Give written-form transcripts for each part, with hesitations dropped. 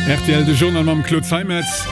Rtl, de Journal mam Claude Zeimetz.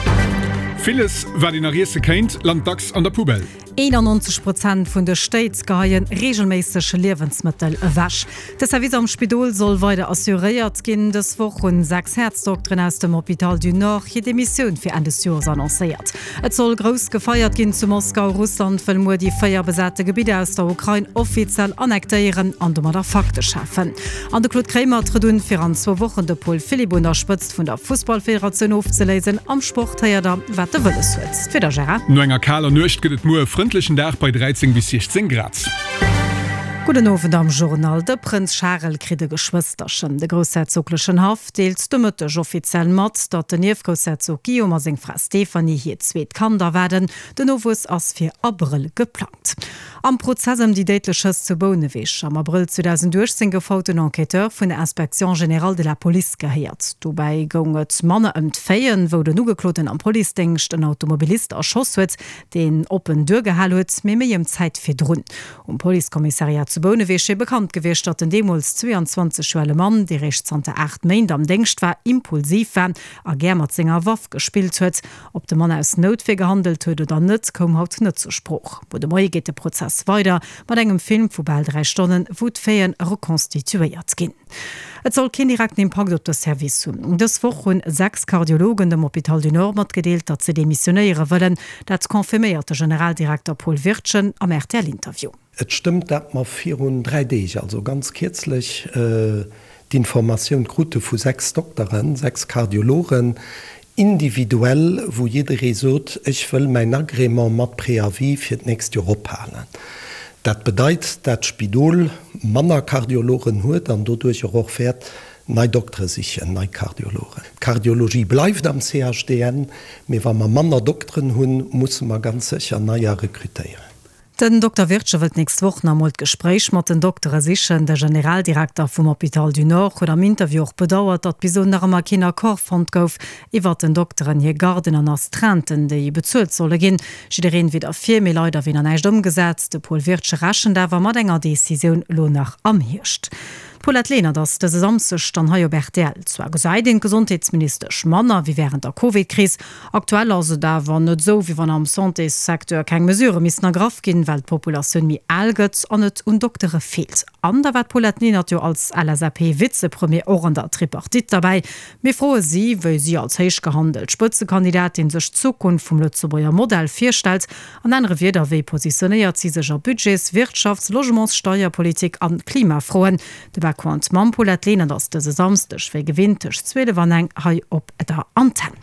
Villes, wat een nach iesse kéint, lant dacks an der Poubelle. 91 Prozent vun de Stéit geheie reegelméisseg Liewensmëttel ewech. De Service am Spidol soll weider assuréiert ginn. Dës Woch hunn 6 Häerzdokteren aus dem Hôpital du Nord hir Demissioun fir Enn des Joers annoncéiert. Et soll grouss gefeiert ginn zu Moskau. Russland wëll muer déi 4 besate Gebidder aus der Ukrain offiziell annektéieren an domadder Fakte schafen. An de Claude Kremer trëtt un, fir an zwou Wochen de Paul Philipp un der Spëtzt vun der Fussballfederatioun ofzeléisen. Am Sport héiert der, wat de wëlles huet. D'Wieder, Gérard? No enger kaler Nuecht gëtt et muer e frëndlechen Dag bei 13 bis 16 Grad. Gudden Owend am Journal. De Prënz Charel kritt e Geschwësterchen. De groussherzoglechen Haff deelt de Mëtteg offiziell mat, datt den Ierfgroussherzog Guillaume a seng Fra Stéphanie hiert zweet Kand erwaarden. Den Nowuess ass fir Abrëll geplangt. Am Prozess ëm déi déidlech Schëss zu Bouneweg am Abrëll 2018 gouf haut den Enquêteur vun der Inspection générale de la Police gehéiert. Dobäi goung et manner ëm d'Faiten, wou den Ugekloten am Policedéngscht en Automobilist erschoss huet, deen oppen duergehal huet, mee méi ëm d'Zäit virdrun. Um Policekommissariat zu Bouneweg wier bekannt gewiescht, datt den deemools 22 Joer ale Mann, dee réischt zanter 8 Méint am Déngscht war, impulsiv war a gär mat senger Waff gespillt huet. Ob de Mann aus Noutwier gehandelt huet oder net, koum haut net zur Sprooch. Muer de Moie geet de Prozess weider mat engem Film vu bal 3 Stonnen, wou d'Faiten rekonstituéiert ginn. Et soll keen direkten Impakt op de Service hunn. Dës Woch hunn 6 Kardiologen dem Hôpital du Nord matgedeelt, datt se demissionéiere wëllen. Dat confirméiert de Generaldirekter Paul Wirtgen am RTL-Interview. Et stëmmt, dat mer virun 3 Deeg, also ganz kierzlech, d'Informatioun krute vu 6 Dokteren, 6 Kardiologen, individuell, wou jidderee sot, ech wëll mäin Agrément mat Préavis fir d'nächst Joer ophalen. Dat bedeit, dat d'Spidol manner Kardiologen huet an doduercher och wäert nei Doktere sichen, nei Kardiologen. D'Kardiologie bleift am CHDN, mee wa mer manner Dokteren hunn, musse mer ganz sécher neier rekrutéieren. Den Dokter Wirtgen wëllt d'nächst Woch nach emol d'Gespréich mat den Doktere sichen. De Generaldirekter vum Hôpital du Nord huet am Interview och bedauert, datt bis elo nach ëmmer keen Accord fonnt gouf iwwert den Dokteren hir Garden an Astreinten, déi bezuelt solle ginn. Jiddereen wier derfir, mee leider wier nach näischt ëmgesat. De Paul Wirtgen rechent awer mat enger Decisioun elo nach am Hierscht. D'Paulette Lenert ass dëse Samsdeg dann hei op rtl. Zwar gesäit een d'Gesondheetsministesch manner wéi wärend der Covid-Kris, Aktuell ass et awer net esou, wéi wann am Santésecteur keng Mesurë missten ergraff ginn, well d'Populatioun méi al gëtt an et un Doktere feelt. An da war d'Paulette Lenert jo als LSAP-Vizepremier och an der Tripartite derbäi. Mir froe si, wéi si als héich gehandelt Spëtzekandidatin sech d'Zukunft vum Lëtzebuerger Modell virstellt. An anere Wierder, wéi positionéiert si sech a Budgets-, Wirtschafts-, Logements-, Steierpolitik an Klimafroen? De Background mam Paulette Lenert ass dëse Samsdeg wéi gewinnt tëscht 12 an eng hei op der Antenn.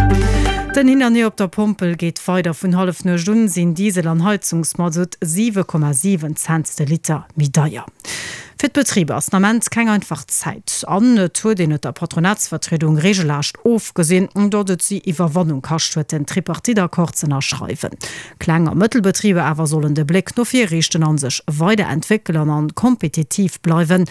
Den Hin an Hier op der Pompel geet weider. Vun Hallefnuecht un sinn Diesel an Heizungsmasutt 7,7 Cent de Liter méi deier. Fir d'Betriber ass den Ament keng einfach Zäit an et huet een et der Patronatsvertriedung regelrecht ofgesinn, datt et si Iwwerwannung kascht huet, den Tripartite-Accord z'ënnerschreiwen. Kleng a Mëttelbetriber awer sollen de Bléck no vir riichten a sech weider entwéckelen an kompetitiv bleiwen.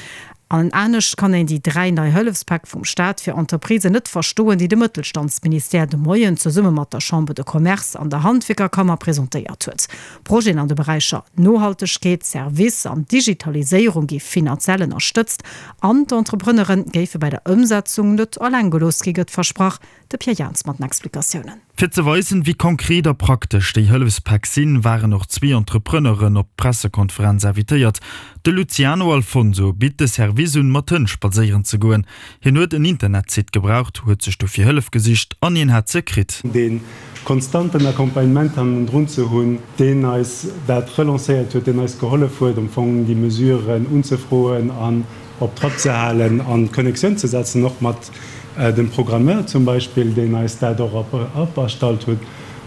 An anescht kann een déi 3 nei Hëllefspäck vum Staat fir Entreprisen net verstoen, déi de Mëttelstandsministère de Moien zesumme mat der Chambre de Commerce an der Handwierkerkammer presentéiert huet. Projeten an de Beräicher Nohaltegkeet, Service an Digitaliséierung gi finanziell ënnerstëtzt an d'Entrepreneure géife bei der Ëmsetzung net eleng gelooss gi, gëtt versprach. De Pierre Jans mat den Explikatiounen. Fir ze weisen, wéi konkret a praktesch déi Hëllefspäck sinn, waren och zwee Entrepreneuren op d'Pressekonferenz invitéiert. De Luciano Alfonso bitt de Service un, mat Hënn spadséieren ze goen. Hien huet en Internetsite gebraucht, huet sech dofir Hëllef gesicht an hien hat se kritt. Dee konstanten Accompagnement hannendrun ze hunn, deen eis dat relancéiert huet, deen eis gehollef huet, am Fong déi Mesuren unzefroen an op Trapp ze halen an Connexioun ze setzen, och mat dem Programmeur zum Beispill, deen eis dat och op erstallt huet,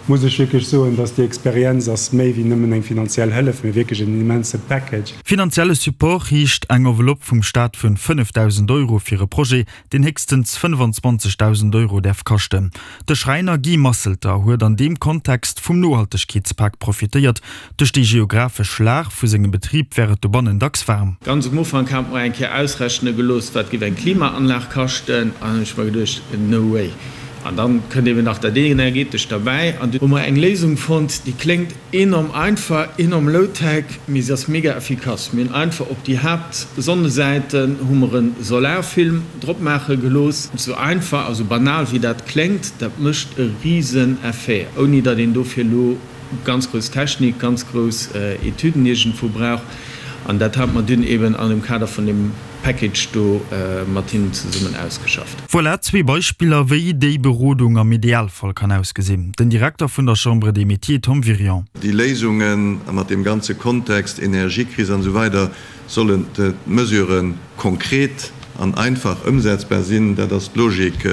muss ech wierklech soen, dass déi Experienz ass méi wéi nëmmen eng finanziell Hëllef, mee wierklech en immense Package. Finanzielle Support heescht eng Enveloppe vum Staat vun 5.000 Euro fir e Projet, deen héchstens 25.000 Euro däerf kaschten. De Schräiner Guy Masselter huet an deem Kontext vum Nohaltegkeetspak profitéiert. Duerch déi geographesch Lag vu sengem Betrib wär et dobannen dacks waarm. Ganz um Ufank hat mer eng Kéier ausrechne gelooss, wat géif eng Klimaanlag kaschten, an hunn ech mer geduecht, no way. An dann kënnt eben nach dat Energetescht derbäi. An du hu mer eng Léisung fonnt, déi kléngt enorm einfach, enorm low-tech, mee se ass mega effikass. Mir hunn einfach op déi Haaptsonnesäiten hu mer e Solarfilm drop maache gelooss. Sou einfach a sou banal wéi dat kléngt, dat mécht e risen Effet, ouni datt een dofir elo ganz grouss Technik, ganz grouss Etüden iergendwou brauch. An dat hate mer dunn eben an dem Kader vun deem Package do mat hinnen zesummen ausgeschafft. Voilà zwee Beispiller, wéi déi Berodung am Idealfall kann ausgesinn. Den Direkter vun der Chambre des Métiers Tom Wirion. Déi Léisungen, a mat deem ganze Kontext, Energiekris an esou weider, sollen d'Mesurë konkret an einfach ëmsetzbar sinn. Dat ass d'Logik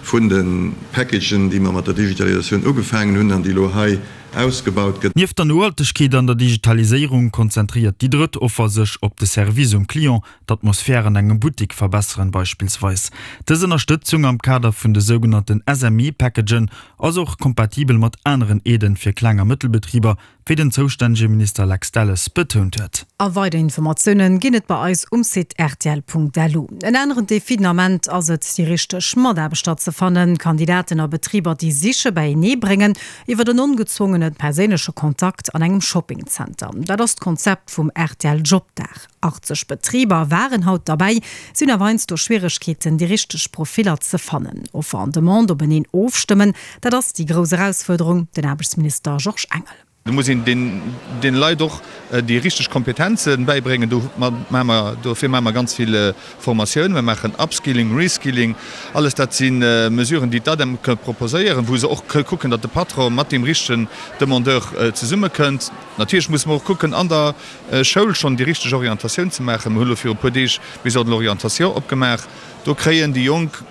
vun de Packagen, déi mer mat der Digitalisatioun ugefaangen hunn an déi elo hei ausgebaut gëtt. Nieft der Nohaltegkeet an der Digitaliséierung konzentréiert déi drëtt Offer sech op de Service um Client, d'Atmosphär an engem Buttik verbesseren beispillsweis. Dës Ënnerstëtzung am Kader vun de sougenannten SME-Packagen ass och kompatibel mat aneren Aiden fir Kleng a Mëttelbetriber, wéi den zoustännege Minister Lex Delles betount huet. A weider Informatiounen ginn et bei eis um Site rtl.lu. En aneren Defi den Ament ass et, déi richteg Mataarbechter ze fannen. Kandidaten a Betriber, déi siche beienee bréngen, iwwer en ongezwongene perséinleche Kontakt an engem Shoppingzenter. Dat ass d'Konzept vum rtl Jobdag. 80 Betriber waren haut derbäi. Si hunn awer heiansdo Schwieregkeeten, déi richteg Profiller ze fannen. Offer an Demande openeen ofstëmmen, dat ass déi grouss Erausfuerderung. Den Aarbechtsminister Georges Engel. Do muss een deene Leit och déi richteg Kompetenze bäibréngen. Do maache mer, dofir maache mer ganz vill Formatioun, mer maachen Upskilling, Reskilling, alles dat si Mesuren, déi d'ADEM ka proposéieren, wou se och kucken, datt de Patron mat deem richtegen Demandeur zesummekënnt. Natierlech musse mer och kucken, an der Schoul schonn déi richteg Orientatioun ze maachen. Mer hu lo viru puer Deeg d'Maison de l'orientation opgemaach. Do kréien déi Jonk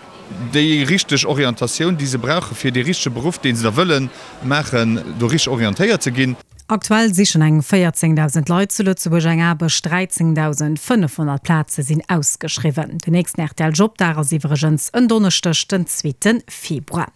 déi richteg Orientatioun, déi se brauchen, fir dee richtege Beruff, dee se da wëlle maachen, do richteg orientéiert ze ginn. Aktuell sichen eng 14.000 Leit zu Lëtzebuerg eng Aarbecht, 13.500 Plaze sinn ausgeschriwwen. Den nächsten rtl Jobdag ass iwwregens en Donneschdeg, den zweete Februar.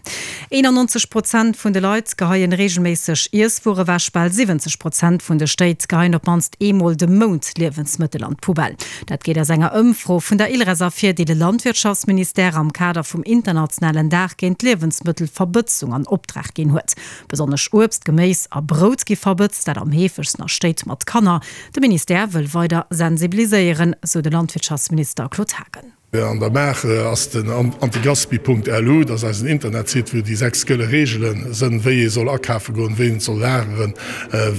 91 Prozent vun de Leit geheien reegelméisseg Iesswuer ewech, bal 70 Prozent vun de Stéit geheien op d'mannst eemol de Mount Liewensmëttel an d'Poubelle. Dat geet aus enger Ëmfro vun der ILRES ervir, déi de Landwirtschaftsministère am Kader vum internationalen Dag géint d'Liewensmëttelverbëtzung an Optrag ginn huet. Besonnesch Uebst, Geméis a Brout gi verbëtzt, dat am heefegsten a Stéit mat Kanner. De Ministère wëll weider sensibiliséieren, sou de Landwirtschaftsminister Claude Haagen. An der Maach ass den antigaspi.lu, dat ass eisen Internetsite, wou déi 6 gëlle Reegele sënn, wéi ee soll akafe goen, wéi een et soll lageren,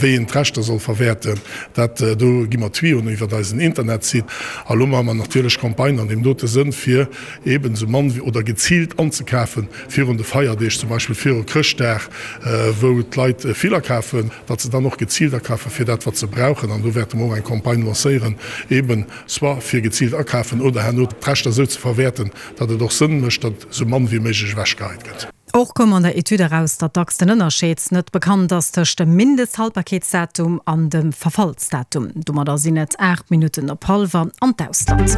wéi een d'Reschter soll verwäerten. Dat do gi mer Tuyauxen iwwert eisen Internetsite. A lo maache mer natierlech Campagnen an deem dote Sënn, fir eeben esou mann wéi oder geziilt anzekafen virun de Feierdeeg, zum Beispill viru Chrëschtdag, wou d'Leit vill akafen, datt se dann och geziilt akafen, fir dat wat se brauchen. An do wäerte mer och eng Campagne lancéieren, eeben soit fir geziilt akafen oder herno d'Reschter esou ze verwäerten, datt et och Sënn mécht, datt esou mann wéi méiglech ewechgeheit gëtt. Och koum an der Etüd eraus, datt dacks den Ënnerscheed net bekannt ass tëscht dem Mindesthaltbarkeetsdatum an dem Verfallsdatum. Domadder sinn et 8 Minutten op hallwer an d'Ausland.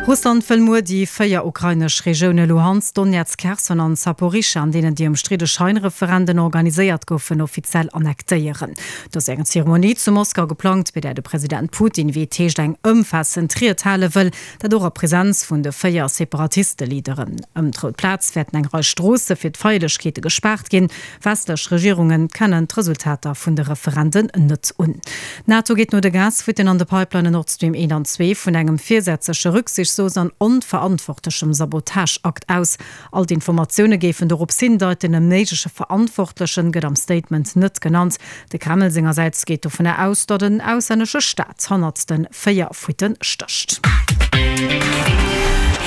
Russland wëll muer déi 4 ukrainesch Regioune Luhansk, Donetsk, Kherson an Saporischschja, an deenen déi ëmstridde Scheinreferenden organiséiert goufen, offiziell annektéieren. Et ass eng Zeremonie zu Moskau geplangt, bei där de President Putin, wéi et heescht, eng ëmfaassend Ried hale wëll, dat och a Presenz vun de 4 Separatiste-Leaderen. Ëm d'Rout Plaz wäerten eng Rei Stroosse fir d'Feierlechkeete gespaart ginn. Westlech Regierunge kennen d'Resultater vun de Referenden net un. D'NATO geet no de Gasfuitten an de Pipelinen Nord Stream 1 an 2 vun engem virsätzleche rücksichtslos an onverantwortlechem Sabotageakt aus. All d'Informatioune géifen dorops hindeiten, e méigleche Verantwortlechen gëtt am Statement net genannt. De Kreml sengersäits geet dovunner aus, datt en auslännesche Staat hannert de 4 Fuitte stécht.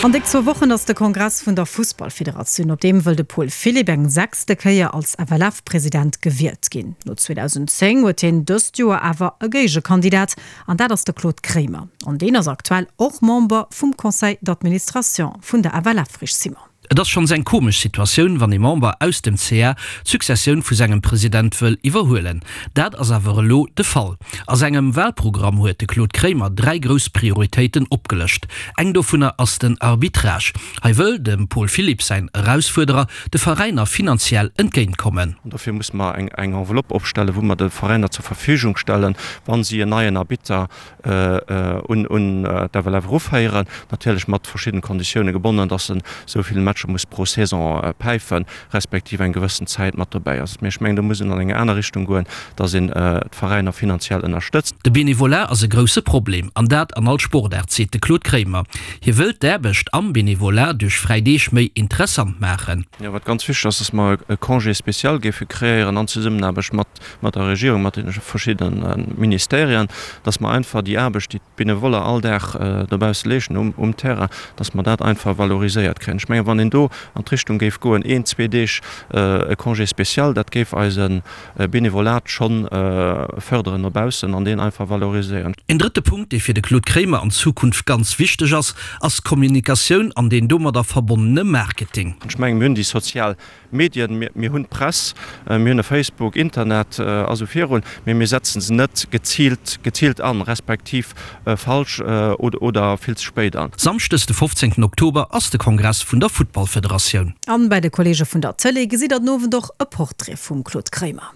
An déck zwou Wochen ass de Kongress vun der Fussballfederatioun. Op deem wëll de Paul Philipp eng sechste Kéier als FLF-President gewielt ginn. No 2010 huet hien dëst Joer awer e Géigekandidat, an dat ass de Claude Kremer. An deen ass aktuell och Member vum Conseil d'administration vun der FLF. Rich Simon. Et ass schonns eng komesch Situatioun, wann ee Member aus dem ca d'Successioun vu sengem President wëll iwwerhuelen. Dat ass awer elo de Fall. A sengem Wahlprogramm huet de Claude Kremer 3 grouss Prioritéiten opgelëscht. Eng dovunner ass den Arbitrage. Hei wëll dem Paul Philipp säin Erausfuerderer de Veräiner finanziell entgéint kommen. An dofir musse mer eng Enveloppe opstellen, wou mer de Veräiner zur Verfügung stellen, wa si en neien Arbitter un d'FLF eruféieren, natierlech mat verschiddene Konditioune gebonnen, dass se esou vill Matcher. Matcher muss pro Saison päifen, respektiv eng gewëssen Zäit mat dobäi ass. Mee ech mengen, do muss een an eng aner Richtung goen, dass een d'Veräiner finanziell ënnerstëtzt. De Benevolat ass e grousse Problem, an dat an all Sportaart, seet de Claude Kremer. Hie wëllt d'Aarbecht am Benevolat duerch fräi Deeg méi interessant maachen. Jo, wat ganz wichteg ass, dass mer e Congé spécial géife kreéieren an Zesummenaarbecht mat mat der Regierung, mat de verschiddene Ministerien, dass mer einfach déi Aarbecht, déi d'Benevoller all Dag dobausse leeschten um Terrain, dass mer dat einfach valoriséiert kréien. Ech mengen, wann een do an d'Richtung géif goen, een, zwee Deeg e Congé spécial, dat géif eise Benevolat schonn fërderen no baussen an deen einfach valoriséieren. Een drëtte Punkt, dee fir de Claude Kremer an Zukunft ganz wichteg ass, ass d'Kommunikatioun an deen domadder verbonnene Marketing. Ech mengen, mir hunn déi sozial Medien, mir hunn d'Press, mir hunn e Facebook, Internet a sou virun, mee mir setzen se net geziilt, geziilt an, respektiv falsch oder vill ze spéit an. Samschdes de 15 Oktober ass de Kongress vun der Futtballfederatioun. An bei de Kollege vun der Tëlee gesitt der den Owend och e Portrait vum Claude Kremer.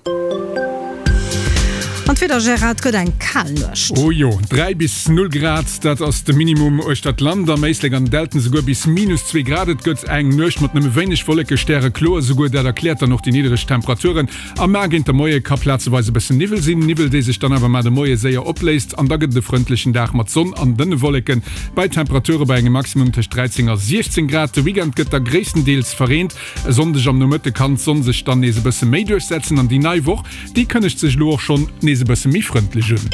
An d'Wieder, Gérard, et gëtt eng kal Nuecht. Oh jo, 3 bis 0 Grad, dat ass de Minimum uechter d'Land, am Éislek an den Dälten esouguer bis minus 2 Grad. Et gëtt eng Nuecht mat nëmme wéineg Wolleke, stärekloer esouguer, dat erkläert dann och déi niddereg Temperaturen. A mar géint de Moie ka plazeweis e bëssen Niwwel sinn, Niwwel dee sech dann awer mar de Moie séier opléist an da gëtt et e frëndlechen Dag mat Sonn an dënne Wolleken, bei Temperature bei engem Maximum tëscht 13 a 16 Grad. De Weekend gëtt da gréisstendeels verreent. E Sonndeg am Nomëtte kann d'Sonn sech dann nees e bësse méi duerchsetzen an déi nei Woch, déi kënnegt sech elo och schonn nees e bësse méi frëndlech un.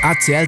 ACL.